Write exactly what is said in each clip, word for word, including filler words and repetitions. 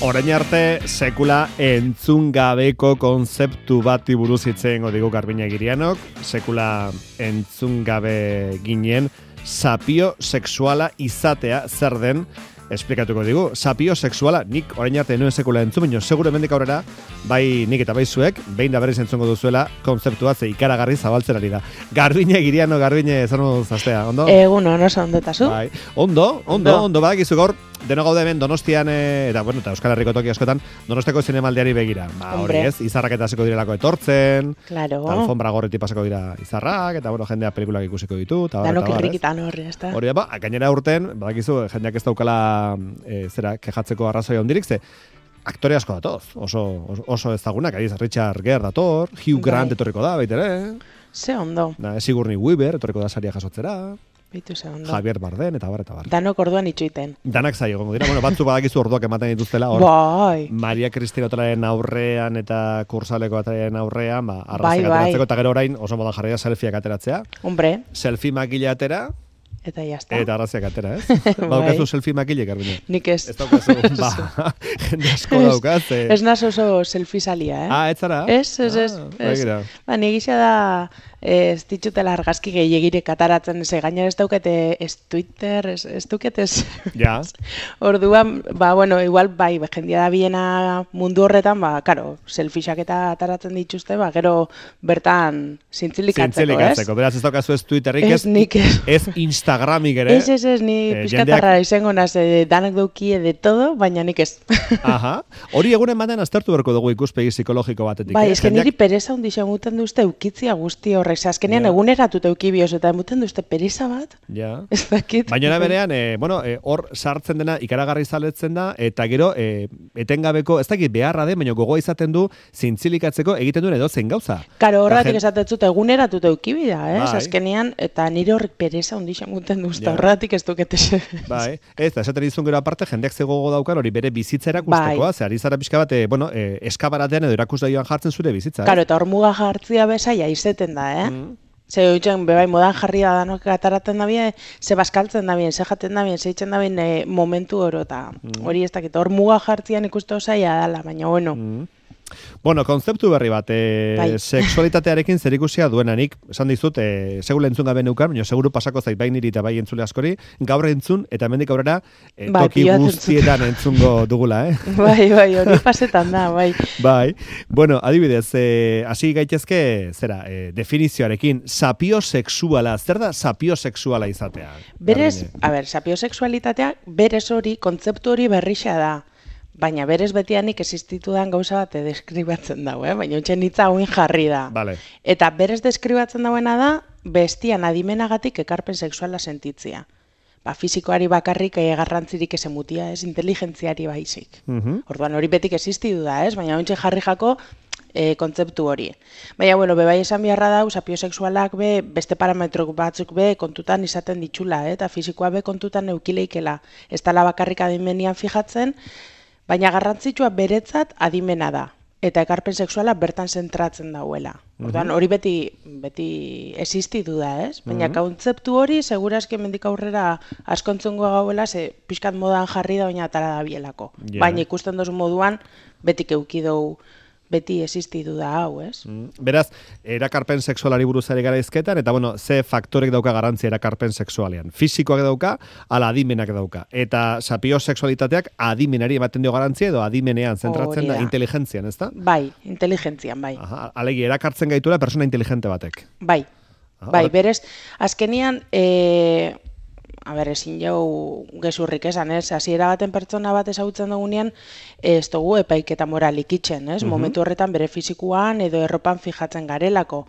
Orain arte sekula entzun gabeko konzeptu bati buruz hitz egingo digu Garbiñe Girianok, sekula entzun gabe ginen sapio sexuala izatea zer den esplikatuko digu. Sapio sexuala nik orain arte nuen sekula entzun, baina seguro hemendik aurrera bai nik eta bai zuek behin da berriz entzungo duzuela konzeptua ze ikaragarri zabaltzen ari da. Garbiñe Giriano, Garbiñe zer moduz astea, ondo? Egun, ondo ondo eta zu? Bai. Ondo, ondo, ondo, ondo badakizu gaur deno gaude hemen Donostian e, eta bueno, eta Euskal Herriko toki askotan Donosteko zinemaldiari begira. Ba, hori ez, izarrak eta hasiko direlako etortzen. Claro. Alfombra gorriti pasako dira izarrak eta bueno, jendea pelikulak ikusiko ditu ta bar. Danok irrikitan horri, ezta? Hori da, ba, gainera urten, badakizu jendeak ez daukala e, zera kejatzeko arrazoia hondirik ze aktore asko datoz, oso oso, oso ezagunak, ari Richard Gere dator, Hugh Grant bai. Etorriko da, baita ere. Ze ondo. Da, Sigourney Weaver etorriko da saria jasotzera. Bitu ze ondo. Javier Bardem eta bar eta bar. Danok orduan itxuiten. Danak zai egongo dira. Bueno, batzu badakizu orduak ematen dituztela hor. Bai. Maria Cristina Otalaren aurrean eta Kursaleko Otalaren aurrean, ba bai, arraziak bai. ateratzeko eta gero orain oso modan jarria selfieak ateratzea. Hombre. Selfie makila atera. Eta jazta. Eta arraziak atera, ez? Baukazu bai. selfie makile, Garbiñe. Nik ez. Ez daukazu, ba, jende asko daukaz. Eh. Ez naz oso selfie salia, eh? Ah, ez zara? Ez, ez, ez. Ah, ez. begira. Ba, negizia da ez ditutela argazki gehiagirek ataratzen, ze gainera ez daukete ez Twitter, ez, ez dukete ez. Ja. Orduan, ba, bueno, igual, bai, jendia da biena mundu horretan, ba, karo, selfieak eta ataratzen dituzte, ba, gero bertan zintzilikatzeko, Zintzilikatzeko, ez? beraz ez daukazu ez Twitterrik, Ez, nik ez. ez Instagramik ere. Ez, ez, ez, ni Eh, pizkatarra izango naz, eh, danak daukie de todo, baina nik ez. Aha. Hori egunen batean aztertu berko dugu ikuspegi psikologiko batetik. Bai, eh? eske Jendeak- niri pereza hundixa muten duzte eukitzia guzti horrek, ze azkenean Ja. eguneratuta euki bioz, eta muten duzte pereza bat, Ja. ez dakit. Baina era berean, e, bueno, e, hor sartzen dena ikaragarri zaletzen da, eta gero e, etengabeko, ez dakit beharra den, baina gogoa izaten du zintzilikatzeko egiten duen edozein gauza. Karo, Eta horretik jen- esatetzut eguneratuta euki bida, ez? Bai. Azkenean, eta nire horrek pereza hundixa muten duzte, Ja. horretik ez dukete ze. Bai, ez da, esaten dizun gero aparte, jendeak ze gogo daukan hori bere bizitza erakustekoa, Bai. ze ari zara pixka bat, e, bueno, e, eskabaratean edo erakusdaioan jartzen zure bizitza. ez? Karo, eta hor muga jartzia bezaia izeten da, eh? Mm. Ze hoitzen, bebai, modan jarri da danok ataratzen da bie, ze baskaltzen da bien, ze jaten da bien, ze itzen da bien e, momentu oro, eta hori ez dakit, hor muga jartzian ikuste osaia dala, baina bueno. Mm. Bueno, konzeptu berri bat, e, Bai. sexualitatearekin zerikusia duenanik, esan dizut, e, segula entzun gabe neukan, baina seguru pasako zait bai niri eta bai entzule askori, gaur entzun, eta hemendik aurrera, e, Bai, toki pilatzen guztietan entzungo dugula, eh? Bai, bai, hori pasetan da, bai. Bai, bueno, adibidez, eh, hasi gaitezke, zera, eh, definizioarekin, sapiosexuala, zer da sapiosexuala izatea? Berez, Garbiñe? a ber, sapiosexualitatea, berez hori, kontzeptu hori berrixa da. Baina berez betianik existitudan gauza bat deskribatzen dago, eh? Baina utxen hitza hauin jarri da. Vale. Eta berez deskribatzen dauena da, bestian adimenagatik ekarpen sexuala sentitzia. Ba, fizikoari bakarrik eh, garrantzirik ez emutia, ez inteligentziari baizik. Mhm. Orduan hori betik existitu da, ez? Baina ontxe jarri jako e, kontzeptu hori. Baina, bueno, bebai esan beharra dau, sapiosexualak be, beste parametro batzuk be kontutan izaten ditxula, eh? Eta fizikoa be kontutan eukileikela. Ez dala bakarrik adimenian fijatzen, baina garrantzitsua beretzat adimena da. Eta ekarpen sexuala bertan zentratzen dauela. Orduan, hori beti beti existitu da, ez? Baina kontzeptu hori, segurazki mendik aurrera askontzungo gauela, ze pixkat modan jarri da, baina atara da bielako. Ja. Baina ikusten dozu moduan, betik eukidou, beti existitu da hau, ez? Mm, Beraz, erakarpen sexualari buruz ari gara izketan, eta bueno, ze faktorek dauka garrantzia erakarpen sexualean. Fisikoak dauka, ala adimenak dauka. Eta sapiosexualitateak adimenari ematen dio garrantzia, edo adimenean zentratzen Hori da, da. inteligentzian, ezta? Bai, inteligentzian, bai. Aha, alegi, erakartzen gaituela persona inteligente batek. Bai, Ah, bai, hor- berez, azkenian, e, a ber, ezin jau gezurrik esan, ez? Hasiera baten pertsona bat ezagutzen dugunean, ez dugu epaiketa moralik itxen, ez? Momentu horretan bere fizikuan edo erropan fijatzen garelako.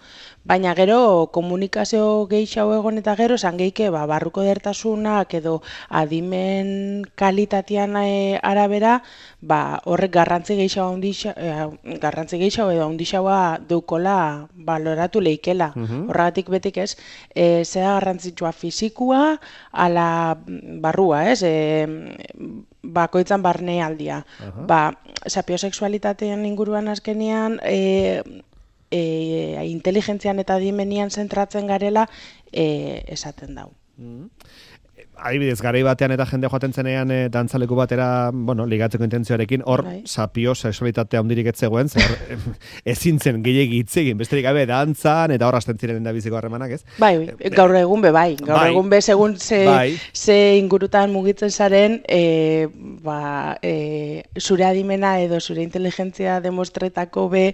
Baina gero komunikazio gehiago egon eta gero esan geike, ba, barruko dertasunak edo adimen kalitatean e, arabera, ba, horrek garrantzi gehiago handixa, e, garrantzi gehiago edo handixagoa deukola baloratu leikela. Horregatik betik ez, e, zera garrantzitsua fizikua, ala barrua, ez? E, bakoitzan barnealdia. Ba, sapiosexualitatean inguruan azkenean, e, e, inteligentzian eta dimenian zentratzen garela e, esaten dau. adibidez, garai batean eta jende joaten zenean e, dantzaleku batera, bueno, ligatzeko intentzioarekin, hor Bai. sapio sexualitatea handirik ez zegoen, zer ezin zen gehiegi hitz egin, besterik gabe dantzan eta hor hasten ziren endabiziko harremanak, ez? Bai, gaur egun be bai, gaur bai. egun be segun ze, bai. ze ingurutan mugitzen zaren, e, ba, e, zure adimena edo zure inteligentzia demostretako be,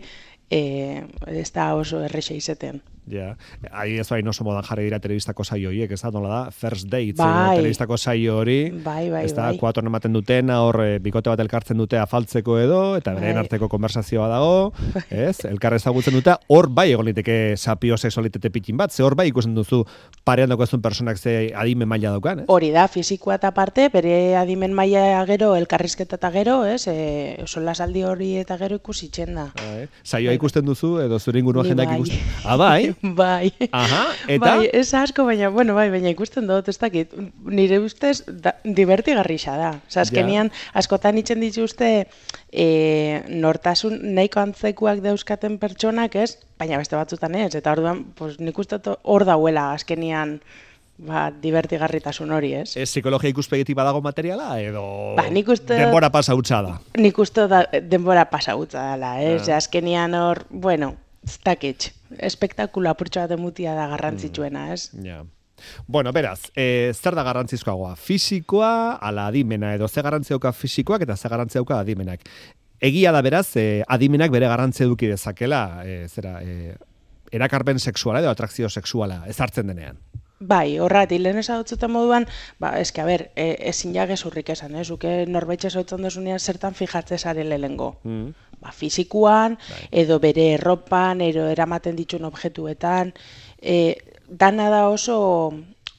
e, ez da oso errexe izeten. Ja, ahi ez bain oso modan jarri dira telebistako saio horiek, ez da, nola da, First Dates, bai. telebistako saio hori, bai, bai, ez da, bai. kuatorn ematen dutena, hor e, bikote bat elkartzen dute afaltzeko edo, eta beren bai. arteko konversazioa dago, ez, elkar ezagutzen dute, hor bai egon liteke sapio sexualitate pikin bat, ze hor bai ikusten duzu parean daukasun personak ze adimen maila daukan, ez? Hori da, fizikoa eta parte, bere adimen maila gero, elkarrizketa eta gero, ez, e, solasaldi hori eta gero ikusitzen da. Bai. Saioa ikusten duzu, edo zure inguruan Ni jendak bai. ikusten? Ah, bai? Bai. Aha, eta? Bai, ez asko, baina, bueno, bai, baina ikusten dut, ez dakit, nire ustez da, divertigarrixa da. Osa, azkenian, askotan itzen dituzte e, nortasun nahiko antzekuak dauzkaten pertsonak, ez? Baina beste batzutan ez, eta orduan, pues, nik uste dut hor dauela, azkenian, ba, divertigarritasun hori, ez? Ez psikologia ikuspegitik badago materiala, edo Ba, nik uste denbora pasa hutsa da? Nik uste da, denbora pasa hutsa dela, ez? Ah. Azkenian hor, bueno, ez dakit, espektakula apurtxo bat emutia da garrantzitsuena, ez? Ja. Bueno, beraz, e, zer da garrantzizkoagoa? Fisikoa, ala adimena, edo ze garrantzia dauka fisikoak eta ze garrantzia dauka adimenak. Egia da beraz, e, adimenak bere garrantzia eduki dezakela, e, zera, e, erakarpen sexuala edo atrakzio sexuala ezartzen denean. Bai, horrati, lehen ezagutzuten moduan, ba, eske, a ber, e, ezin ja gezurrik esan, ez? Zuke norbaitxe zoitzen desunean zertan fijatzen zare lehengo. Mm. Ba, fizikuan, bai. Edo bere erropan, edo eramaten dituen objektuetan, e, dana da oso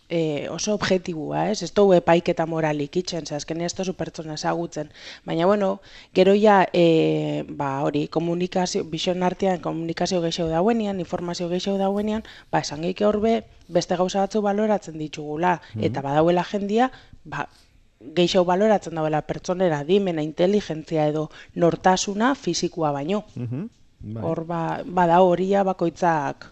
e, oso objektibua, ez? Ez dugu epaiketa moralik itzen, ze azkenean ez duzu pertsona ezagutzen. Baina, bueno, gero ja, e, ba, hori, komunikazio, bizion artean komunikazio gehiago dauenean, informazio gehiago dauenean, ba, esan gehike horbe, beste gauza batzu baloratzen ditugula, mm-hmm. eta badauela jendia, ba, gehiago baloratzen dauela pertsonera dimena, inteligentzia edo nortasuna fizikoa baino. Mm-hmm. Bai. Hor, ba, bada horia bakoitzak.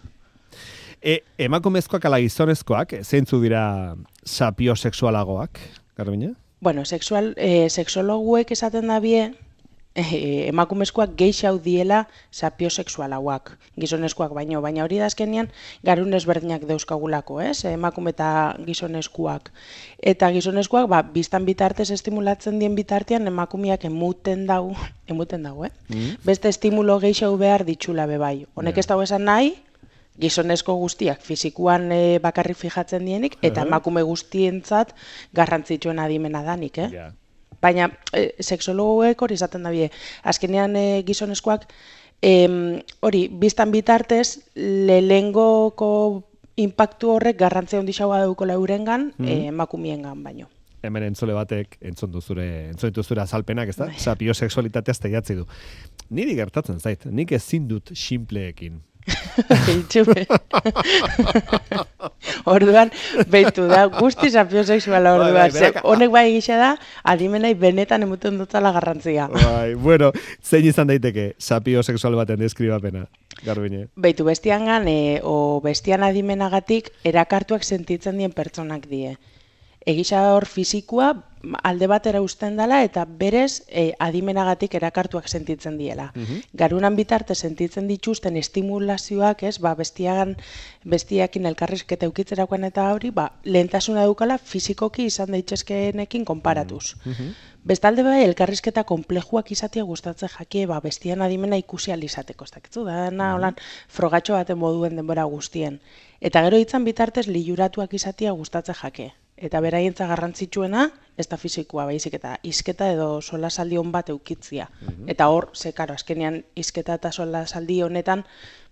E, emakumezkoak ala gizonezkoak, zeintzu dira sapiosexualagoak, Garbine? Bueno, sexual, e, sexologuek esaten da bie, e, emakumezkoak geixau diela sapiosexualagoak, gizonezkoak baino, baina hori da azkenean garun ezberdinak dauzkagulako, ez? Emakume eta gizonezkoak. Eta gizonezkoak, ba, biztan bitartez estimulatzen dien bitartean emakumeak emuten dau, emuten dau, eh? Mm. Beste estimulo geixau behar ditxula bebai. Honek yeah. Ez dago esan nahi, gizonezko guztiak fizikuan e, bakarrik fijatzen dienik, eta uh-huh. emakume guztientzat garrantzitsuen adimena danik, eh? Yeah. Baina, e, sexologoek hori izaten da bie. Azkenean e, gizonezkoak, hori, biztan bitartez, lehengoko impactu horrek garrantzia handixagoa daukola eurengan, uh-huh. e, emakumiengan baino. Hemen entzule batek entzun duzure, entzun dituzure azalpenak, ez da? Sapiosexualitatea azteiatzi du. Niri gertatzen zait, nik ezin dut simpleekin. Itxume. Orduan, behitu da, guzti sapiosexuala orduan. Bai, bai, honek bai gisa da, adimenai benetan emuten dutala garrantzia. Bai, bueno, zein izan daiteke sapiosexual baten deskribapena, Garbine? Behitu, bestiangan, e, o bestian adimenagatik erakartuak sentitzen dien pertsonak die. Egisa hor fizikoa alde batera uzten dela eta berez e, adimenagatik erakartuak sentitzen diela. Uh-huh. Garunan bitarte sentitzen dituzten estimulazioak, ez, ba, bestiagan, bestiakin elkarrizketa eukitzerakoan eta hori, ba, lehentasuna dukala fizikoki izan daitezkeenekin konparatuz. Uh-huh. Bestalde bai, elkarrizketa konplejuak izatea gustatzen jakie, ba, bestian adimena ikusi alizateko, ez dakitzu, da, na, holan, frogatxo baten moduen denbora guztien. Eta gero hitzan bitartez liuratuak izatea gustatzen jake. Eta beraientza garrantzitsuena, ez da fizikoa baizik eta hizketa edo solasaldi on bat eukitzia. Mm-hmm. Eta hor, ze karo, azkenean hizketa eta solasaldi honetan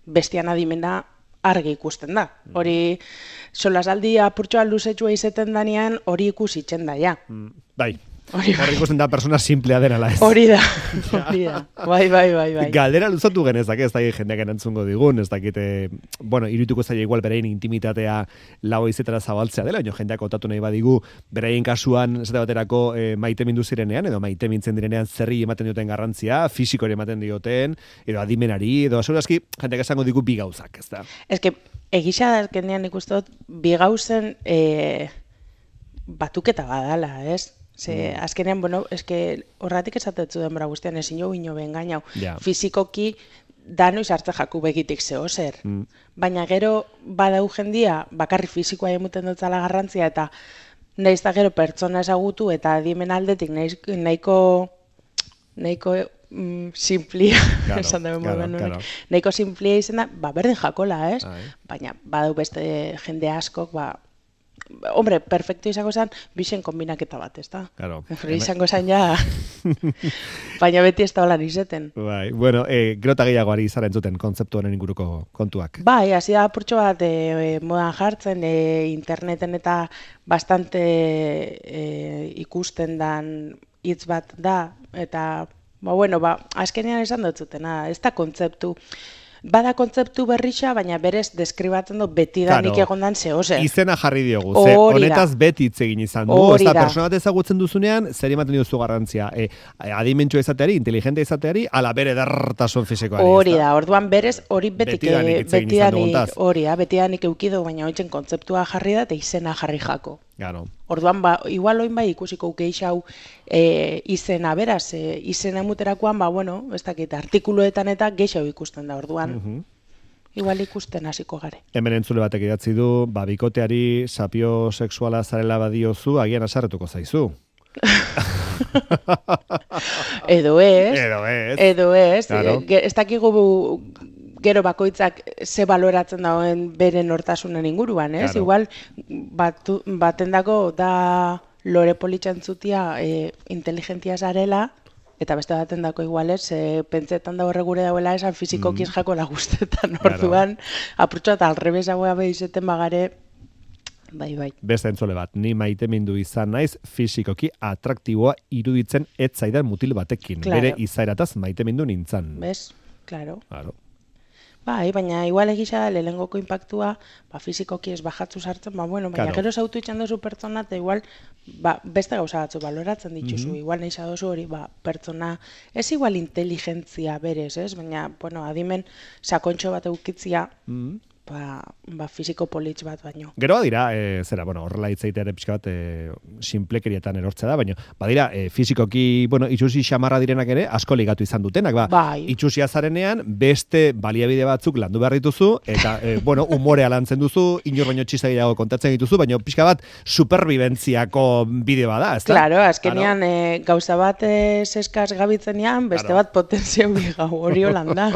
bestian adimena argi ikusten da. Mm-hmm. Hori solasaldi apurtxoa luzetxua izeten danean hori ikusitzen da, ja. Mm, bai. Hori ikusten da persona simplea denala ez. Hori da, hori da. Bai, bai, bai, bai. Galdera luzatu genezak, ez dakit jendeak entzungo digun, ez dakit, bueno, irituko zaila igual berein intimitatea lau izetara zabaltzea dela, baina jendeak otatu nahi badigu, berein kasuan, zeta baterako e, maite mindu zirenean, edo maite mintzen direnean zerri ematen dioten garrantzia, fisikori ematen dioten, edo adimenari, edo segurazki, jendeak esango digu bi gauzak, ez da? Ez que, egisa da, azkenean ikusten dut, bi gauzen, e... batuketa badala, ez? Ze, mm. azkenean, bueno, eske horratik esatetzu denbora guztian, ezin jo ino bengainau. Yeah. Fizikoki, dano izartze jaku begitik zeo zer. Mm. Baina gero, badau jendia, bakarri fizikoa emuten dutzala garrantzia, eta nahiz da gero pertsona ezagutu, eta adimen aldetik nahiz, nahiko, nahiko mm, simplia, claro, esan dugu claro, claro. Nahiko simplia izan da, ba, berdin jakola, ez? Ai. Baina, badau beste jende askok, ba, hombre, perfecto izango zen, bixen kombinaketa bat, ez da? Claro. Izango zen ja, baina beti ez da holan izeten. Bai, bueno, e, gero eta gehiagoari izaren zuten kontzeptu honen inguruko kontuak. Bai, hasi da apurtxo bat e, modan jartzen, e, interneten eta bastante e, ikusten dan hitz bat da, eta, ba, bueno, ba, azkenean esan dut zutena, ez da kontzeptu, bada kontzeptu berrixa, baina berez deskribatzen du betidanik claro, egondan zehozer. Izena jarri diogu, ze honetaz beti hitz egin izan du. Ez da, persona bat ezagutzen duzunean, zer ematen diozu garrantzia. E, adimentsu izateari, inteligente izateari, ala bere dartasun fizikoari. Hori da, orduan berez hori betik, betidanik, hori da, betidanik eukidu, baina hoitzen kontzeptua jarri da, eta izena jarri jako. Claro. Orduan, ba, igual oin bai ikusiko geixau e, izena beraz, e, izena emuterakoan, ba, bueno, ez dakit, artikuluetan eta geixau ikusten da, orduan. Uh-huh. Igual ikusten hasiko gare. Hemen entzule batek idatzi du, ba, bikoteari sapio sexuala zarela badiozu, agian asarretuko zaizu. Edo ez. Edo ez. Edo ez. Claro. Ez dakigu gero bakoitzak ze baloratzen dagoen beren nortasunen inguruan, ez? Claro. Igual, batu, batendako da lore politxantzutia e, inteligentia zarela, eta beste batendako igual ez, e, pentsetan da horre gure dauela esan fizikokiz mm. jako lagustetan orduan, claro. Apurtxo eta alrebesagoa behizeten bagare, bai, bai. Beste entzole bat, ni maite mindu izan naiz fizikoki atraktiboa iruditzen ez zaidan mutil batekin. Claro. Bere izaerataz maite mindu nintzan. Bez, claro. Claro. Bai, baina igual egisa da lehengoko impactua, ba, fizikoki ez bajatzu sartzen, ba, bueno, baina claro. Gero zautu itxan dozu pertsona, eta igual, ba, beste gauza batzu baloratzen dituzu, mm-hmm. Igual nahi zadozu hori, ba, pertsona, ez igual inteligentzia berez, ez? Baina, bueno, adimen sakontxo bat eukitzia, mm-hmm. ba, ba, fiziko politx bat baino. Gero badira, e, zera, bueno, horrela hitzaitea ere pixka bat, e, sinplekerietan erortzea da, baina, badira, e, fizikoki, bueno, itxusi xamarra direnak ere, asko ligatu izan dutenak, ba, bai. Itxusia zarenean, beste baliabide batzuk landu behar dituzu, eta, e, bueno, umorea lantzen duzu, inor baino txizagiago kontatzen dituzu, baina pixka bat, superbibentziako bide bada, ez da? Claro, azkenean, e, gauza bat e, seskaz gabitzenean, beste claro. Bat potentzia gau hori holanda.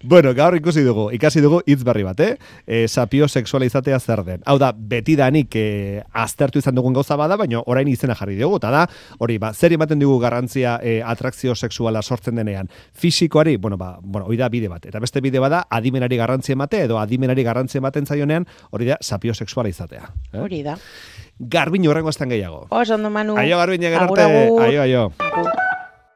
Bueno, gaur ikusi dugu, ikasi dugu, hitz berri bat, eh? E, sapio sexuala izatea zer den. Hau da, betidanik e, aztertu izan dugun gauza bada, baina orain izena jarri dugu, eta da, hori, ba, zer ematen dugu garrantzia e, atrakzio sexuala sortzen denean. Fisikoari, bueno, ba, bueno, hori da bide bat. Eta beste bide bada, adimenari garrantzia emate, edo adimenari garrantzia ematen zaionean, hori da, sapio sexuala izatea. Eh? Hori da. Garbin horrengo estan gehiago. Oso, ondo, Manu. Aio, Garbin, gerarte. Aio, aio. Agur.